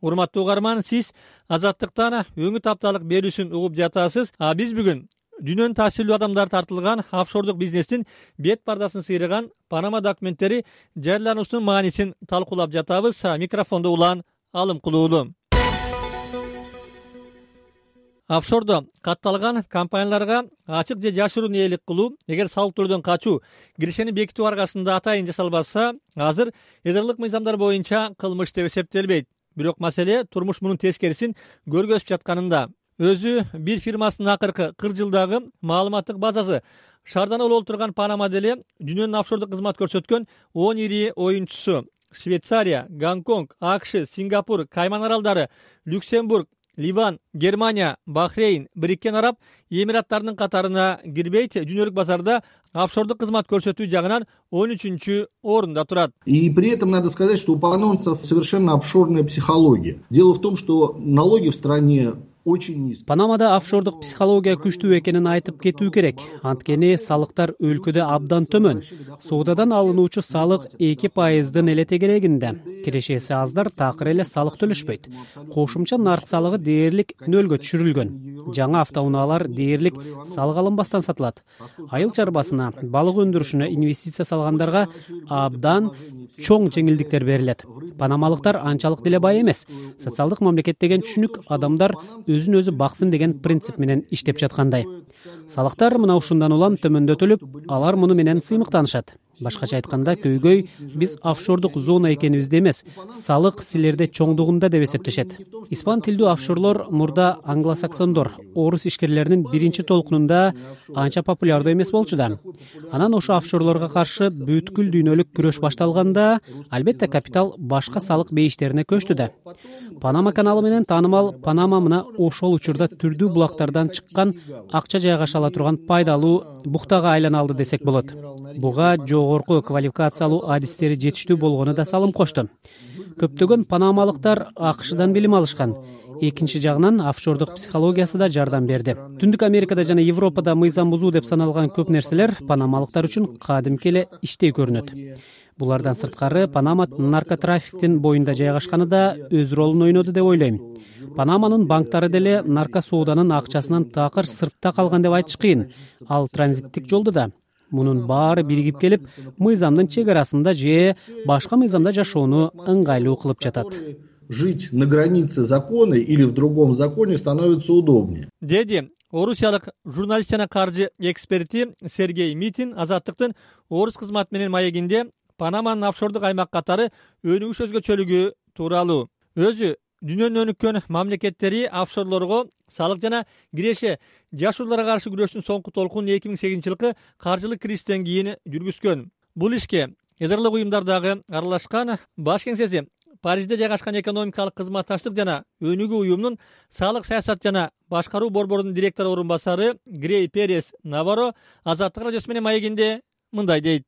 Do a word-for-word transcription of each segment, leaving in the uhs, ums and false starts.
Урматтуу угарман, сиз Азаттыктан өңүт апталык берүүсүн угуп жатасыз. А биз бүгүн дүйнөнүн таасирлүү адамдары тартылган офшордук бизнестин бет пардасын сыйраган Панама документтери жарыялануусунун маанисин талкуулап жатабыз. Микрофондо Улан Алымкулуулу. Офшордо катталган компанияларга ачык же жашыруун ээлик кылуу, эгер салык төлөөдөн качуу киришени бекитүү аркасында атайын жасалбаса, азыр эдрлык мыйзамдар боюнча кылмыш деп эсептелбейт. Бирок маселе турмуш мунун тескерисин көргөзүп жатканында. Өзү бир фирмасынын акыркы кырк жылдагы маалыматтык базасы шаардана болуп турган Панама деле дүйнөнүн офшордук кызмат көрсөткөн он ири оюнчусу. Швейцария, Гонконг, АКШ, Сингапур, Кайман аралдары, Люксембург, Ливан, Германия, Бахрейн, Бириккен Араб Эмираттарынын катарына кирбейт. Дүйнөлүк базарда офшордук кызмат көрсөтүү жагынан он үчүнчү орунда турат. И при этом надо сказать, что у панамцев совершенно офшорная психология. Дело в том, что налоги в стране очень низкие. Панамада офшордук психология күчтүү экенин айтып кетүү керек. Анткени салыктар өлкөдө абдан төмөн. Соодадан алынуучу салык эки пайыздын эле тегерегинде. Кирешеси аздар такыр эле салык төлөшпөйт. Кошумча нарк салыгы дээрлик нөлгө түшүрүлгөн. Жаңы автоунаалар дээрлик салык алынбастан сатылат. Айыл чарбасына, балык өндүрүшүнө инвестиция салгандарга абдан чоң жеңилдиктер берилет. Панамалыктар анчалык деле бай эмес. Социалдык мамлекет деген түшүнүк адамдар өзүн өзү баксын деген принцип менен иштеп жаткандай. Салыктар мына ушундан улам төмөндөтүлүп, алар муну менен сыймыктанышат. Башкача айтканда, көйгөй биз офшордук зона экенибизде эмес, салык силерде чоңдугунда деп эсептешет. Испан тилдүү офшорлор мурда англосаксондор, орус ишкерлеринин биринчи толкунунда анча популярдуу эмес болчу да. Анан ошо офшорлорго каршы бүткүл дүйнөлүк күрөш башталганда, албетте капитал башка салык бейиштерине көчтү да. Панама каналы менен таанымал Панама мына ошол учурда түрдүү булактардан чыккан акча жайгаша ала турган пайдалуу буктага айлана алды десек болот. Буга жогорку квалификациялуу адистери жетиштүү болгону да салым кошту. Көптөгөн панамалыктар АКШдан билим алышкан. Экинчи жагынан офшордук психологиясы да жардам берди. Түндүк Америкада жана Европада мыйзам бузуу деп саналган көп нерселер панамалыктар үчүн кадимки эле иштей көрүнөт. Булардан сырткары Панама наркотрафиктин боюнда жайгашканы да өз ролун ойноду деп ойлойм. Панаманын банктары деле наркосооданын акчасынан такыр сыртта калган деп айтыш кыйын. Ал транзиттик жолду да. Мунун баары биригип келип, мыйзамдын чек арасында же башка мыйзамда жашоону ыңгайлуу кылып жатат. Жить на границе закона или в другом законе становится удобнее. Деди орусиялык журналист жана каржы эксперти Сергей Митин Азаттыктын орус кызматы менен маегинде Панаманын офшордук аймак катары өнүгүш өзгөчөлүгү тууралуу. Өзү дүйнөнүн өнүккөн мамлекеттери офшорлорго салык жана киреше жашырууларга каршы күрөштүн соңку толкунун эки миң сегизинчи жылкы каржылык кризистен кийин жүргүзгөн. Бул ишке эдрлык уюмдардагы аралашкан баш кеңсеси Парижде жайгашкан экономикалык кызматташтык жана өнүгүү уюмунун салык саясат жана башкаруу борборунун директору орун басары Грей Перес Наваро Азаттык радиосу менен маегинде мындай дейт.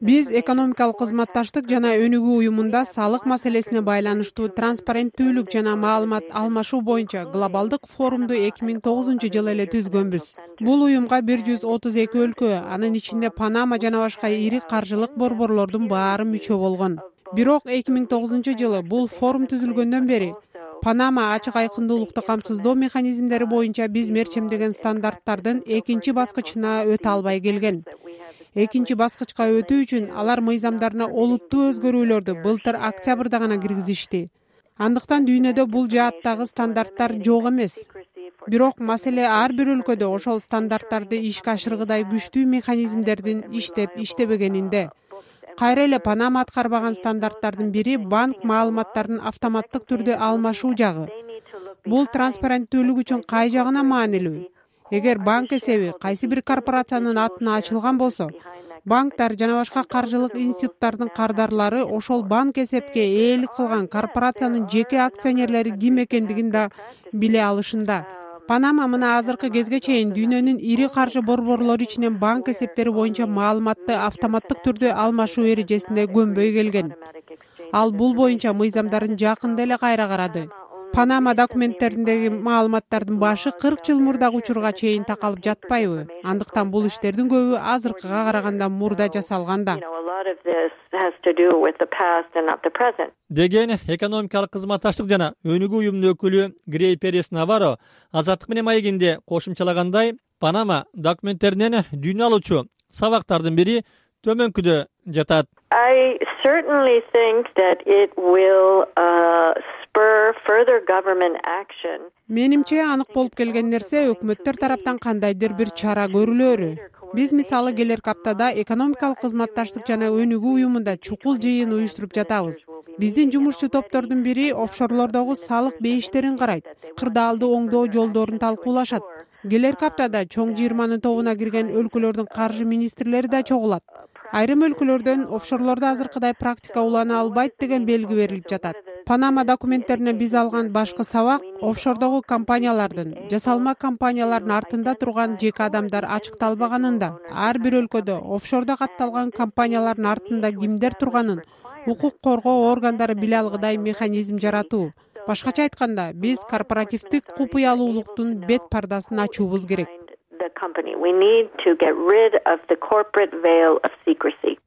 Биз экономикалык кызматташтык жана өнүгүү уюмунда салык маселесине байланыштуу транспаренттүүлүк жана маалымат алмашуу боюнча глобалдык форумду эки миң тогузунчу жылы эле түзгөнбүз. Бул уюмга бир жүз отуз эки өлкө, анын ичинде Панама жана башка ири каржылык борборлордун баары мүчө болгон. Бирок эки миң тогузунчу жылы бул форум түзүлгөндөн бери Панама ачык айкындуулукту камсыздоо механизмдери боюнча биз мерчемдеген стандарттардын экинчи баскычына өтө албай келген. Экинчи баскычка өтүү үчүн алар мыйзамдарына олуттуу өзгөрүүлөрдү былтыр октябрда гана киргизишти. Андыктан дүйнөдө бул жааттагы стандарттар жок эмес. Бирок маселе ар бир өлкөдө ошол стандарттарды ишке ашыргыдай күчтүү механизмдердин иштеп иштебегенинде. Кайра эле Панама аткарбаган стандарттардын бири банк маалыматтарын автоматтык түрдө алмашуу жагы. Бул транспаренттүүлүк үчүн кай жагына маанилүү? Эгер банк эсеби кайсы бир корпорациянын атына ачылган болсо, банктар жана башка каржылык институттардын кардарлары ошол банк эсепке ээлик кылган корпорациянын жеке акционерлери ким экендигин да биле алышында. Панама мына азыркы кезге чейин дүйнөнүн ири каржы борборлору ичинен банк эсептери боюнча маалыматты автоматтык түрдө алмашуу эрежесине көнбөй келген. Ал бул боюнча мыйзамдарын жакында эле кайра карады. Панама документтериндеги маалыматтардын башы кырк жыл мурдагы учурга чейин такалып жатпайбы? Андыктан бул иштердин көбү азыркыга караганда мурда жасалган да. Деген экономикалык кызматташтык жана өнүгүү уюмунун өкүлү Грей Перес Наваро Азаттык менен маегинде кошумчалагандай, Панама документтеринен дүйнө алуучу сабактардын бири төмөнкүдө жатат. I certainly think that it will uh, spur further government action. Менимче анык болуп келген нерсе өкмөттөр тараптан кандайдыр бир чара көрүлөрү. Биз мисалы келерки аптада экономикалык кызматташтык жана өнүгүү уюмунда чукул жыйын уюштуруп жатабыз. Биздин жумушчу топтордун бири офшорлордогу салык бейиштерин карайт, кырдаалды оңдоо жолдорун талкуулашат. Келерки аптада чоң жыйырманын тобуна кирген өлкөлөрдүн каржы министрлери да чогулат. Айрым өлкөлөрдөн офшорлордо азыркыдай практика улана албайт деген белги берилип жатат. Панама документтеринен биз алган башкы сабак офшордогу компаниялардын, жасалма компаниялардын артында турган жеке адамдар ачыкталбаганында, ар бир өлкөдө офшордо катталган компаниялардын артында кимдер турганын укук коргоо органдары биле алгыдай механизм жаратуу. Башкача айтканда, биз корпоративдик купуялуулуктун бет пардасын ачуубуз керек.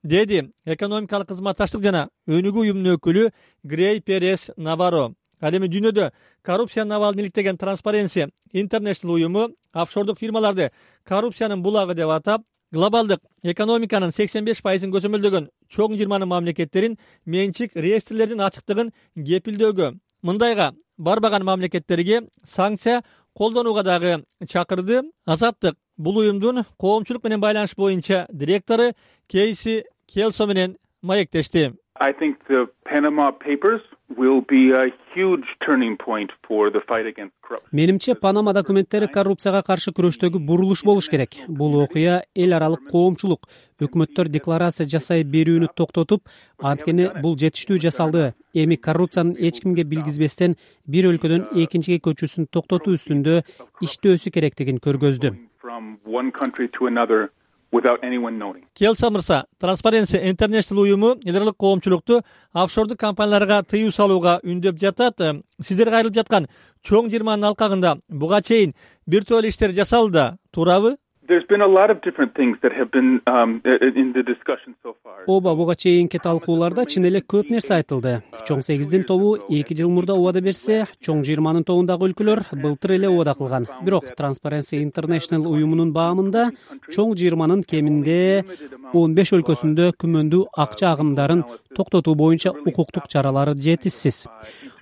Деди экономикалык кызматташтык жана өнүгүү уюмунун өкүлү Грей Перес Наваро. Ал эми дүйнөдө коррупциянын абалын иликтеген Transparency International уюму офшордук фирмаларды коррупциянын булагы деп атап, глобалдык экономиканын сексен беш пайызын көзөмөлдөгөн чоң жыйырманын мамлекеттерин менчик реестрлердин ачыктыгын кепилдөөгө, мындайга барбаган мамлекеттерге санкция колдонууга дагы чакырды. Азаттык бул уюмдун коомчулук менен байланыш боюнча директору Кейси Келсо менен маектешти. I think the Panama Papers will be a huge turning point for the fight against corruption. Менимче Панама документтери коррупцияга каршы күрөштөгү бурулуш болуш керек. Бул окуя эл аралык коомчулук, өкмөттөр декларация жасай берүүнү токтотуп, анткени бул жетиштүү жасалды. Эми коррупциянын эч кимге билгизбестен бир өлкөдөн экинчиге көчүүсүн токтотуу үстүндө иштөөсү керектигин көргөздү. From one country to another without anyone knowing. Келса мырса, Transparency International уюму эл аралык коомчулукту офшордук компанияларга тыюу салууга үндөп жатат. Сиздерге айрылып жаткан чоң жыйырманын алкагында буга чейин бир топ иштер жасалды да, туурабы? There's been a lot of different things that have been um, in the discussion so far. Оба буга чейинки талкууларда чын эле көп нерсе айтылды. Чоң сегиздин тобу эки жыл мурда убада берсе, чоң жыйырманын тобундагы өлкөлөр былтыр эле убада кылган. Бирок Transparency International уюмунун баамында чоң жыйырманын кеминде он беш өлкөсүндө күмөндүү акча агымдарын токтотуу боюнча укуктук чаралары жетишсиз.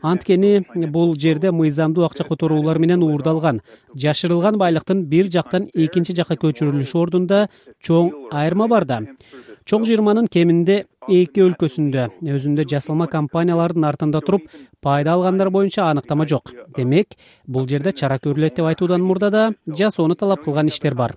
Анткени бул жерде мыйзамдуу акча которуулар менен уурдалган, жашырылган байлыктын бир жактан экинчи жакка көчүрүлүшү ордунда чоң айырма бар да. Чоң жыйырманын кеминде эки өлкөсүндө өзүндө жасалма компаниялардын артында туруп пайда алгандар боюнча аныктама жок. Демек, бул жерде чара көрүлөт деп айтуудан мурда да жасоону талап кылган иштер бар.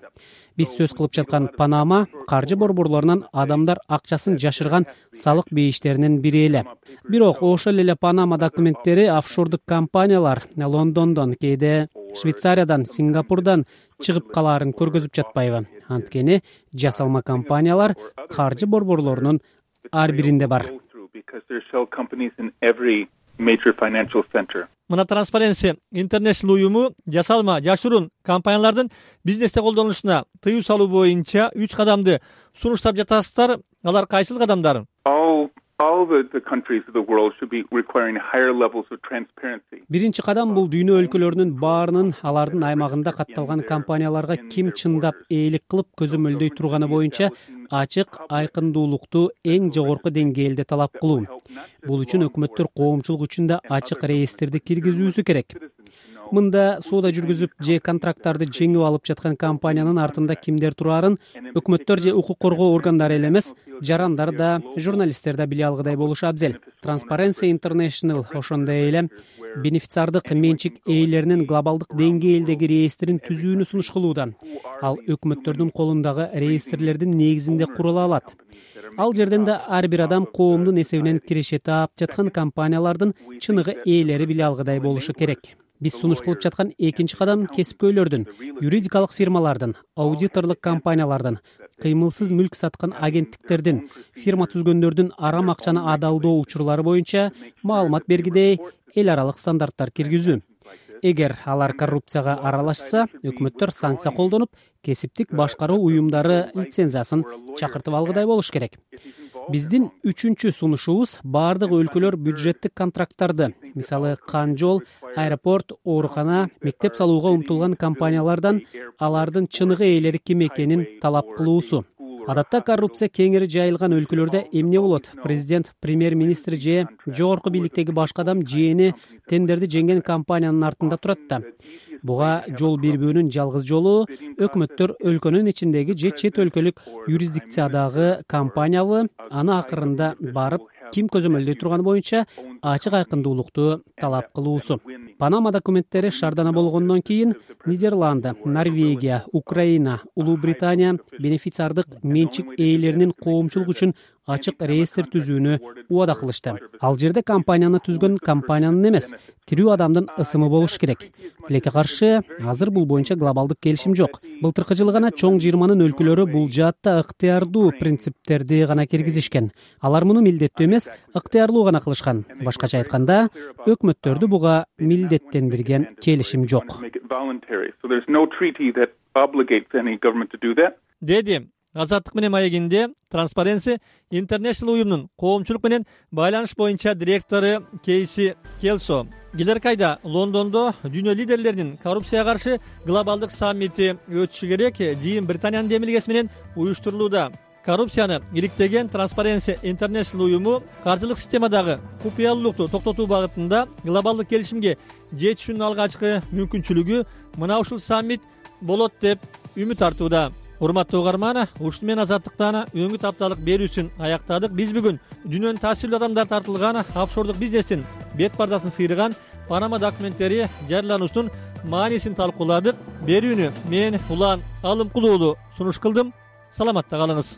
Биз сөз кылып жаткан Панама каржы борборлорунан адамдар акчасын жашырган салык бейиштеринин бири эле. Бирок ошол эле Панама документтери офшордук компаниялар Лондондон, кээде Швейцариядан, Сингапурдан чыгып калаарын көргөзүп жатпайбы? Анткени жасалма компаниялар каржы борборлорунун ар биринде бар. Мына Transparency International уюму жасалма жашыруун компаниялардын бизнесте колдонулушуна тыюу салуу боюнча үч кадамды сунуштап жатасыздар. Алар кайсыл кадамдар? All the, the countries of the world should be requiring higher levels of transparency. Биринчи кадам бул дүйнө өлкөлөрүнүн баарынын алардын аймагында катталган компанияларга ким чындап ээлик кылып көзөмөлдөй турганы боюнча ачык айкындуулукту эң жогорку деңгээлде талап кылуу. Бул үчүн өкмөттөр коомчулук үчүн да ачык реестрди киргизүүсү керек. Мында соода жүргүзүп же контракттарды жеңип алып жаткан компаниянын артында кимдер турарын өкмөттөр же укук коргоо органдары эле эмес, жарандар да, журналисттер да биле алгыдай болушу абзел. Transparency International ошондой эле бенефициардык менчик ээлеринин глобалдык деңгээлдеги реестрин түзүүнү сунуш кылууда. Ал өкмөттөрдүн колундагы реестрлердин негизинде курула алат. Ал жерден да ар бир адам коомдун эсебинен киреше таап жаткан компаниялардын чыныгы ээлери биле алгыдай болушу керек. Биз сунуш кылып жаткан экинчи кадам кесипкөйлөрдүн, юридикалык фирмалардын, аудиторлук компаниялардын, кыймылсыз мүлк саткан агенттиктердин, фирма түзгөндөрдүн арам акчаны адалдоо учурлары боюнча маалымат бергидей эл аралык стандарттар киргизүү. Эгер алар коррупцияга аралашса, өкмөттөр санкция колдонуп, кесиптик башкаруу уюмдары лицензиясын чакыртып алгыдай болуш керек. Биздин үчүнчү сунушубуз бардык өлкөлөр бюджеттик контракттарды, мисалы кан жол, аэропорт, оорукана, мектеп салууга умтулган компаниялардан алардын чыныгы ээлери ким экенин талап кылуусу. Адатта коррупция кеңири жайылган өлкөлөрдө эмне болот? Президент, премьер-министр же жогорку бийликтеги башка адам жээни тендерди жеңген компаниянын артында турат да. Буга жол бербөөнүн жалгыз жолу өкмөттөр өлкөнүн ичиндеги же чет өлкөлүк юрисдикциядагы компаниябы аны акырында барып ким көзөмөлдөй турганы боюнча ачык айкындуулукту талап кылуусу. Панама документтери шаардана болгондон кийин Нидерланды, Норвегия, Украина, Улуу Британия бенефициардык менчик ээлеринин коомчулук үчүн ачык реестр түзүүнү убада кылышты. Ал жерде компанияны түзгөн компаниянын эмес, тирүү адамдын ысымы болуш керек. Тилекке каршы, азыр бул боюнча глобалдык келишим жок. Былтыркы жылы гана чоң жыйырманын өлкөлөрү бул жаатта ыктыярдуу принциптерди гана киргизишкен. Алар муну милдеттүү эмес, ыктыярлуу гана кылышкан. Башкача айтканда, өкмөттөрдү буга милдеттендирген келишим жок. Деди Азаттык менен маегинде Transparency International уюмунун коомчулук менен байланыш боюнча директору Кейси Келсо. Келерки айда Лондондо дүйнө лидерлеринин коррупцияга каршы глобалдык саммити өтүшү керек. Жыйын Британиянын демилгеси менен уюштурулууда. Коррупцияны иликтеген Transparency International уюму каржылык системадагы купуялуулукту токтотуу багытында глобалдык келишимге жетишүүнүн алгачкы мүмкүнчүлүгү мына ушул саммит болот деп үмүт артууда. Урматтуу угарман, ушуну менен Азаттыктан өңүт апталык берүүсүн аяктадык. Биз бүгүн дүйнөнүн таасирлүү адамдар тартылган офшордук бизнестин бет бардасын сыйрыган Панама документтери жарыялануусунун маанисин талкууладык. Берүүнү мен Улан Алымкулуу сунуш кылдым. Саламатта калыңыз.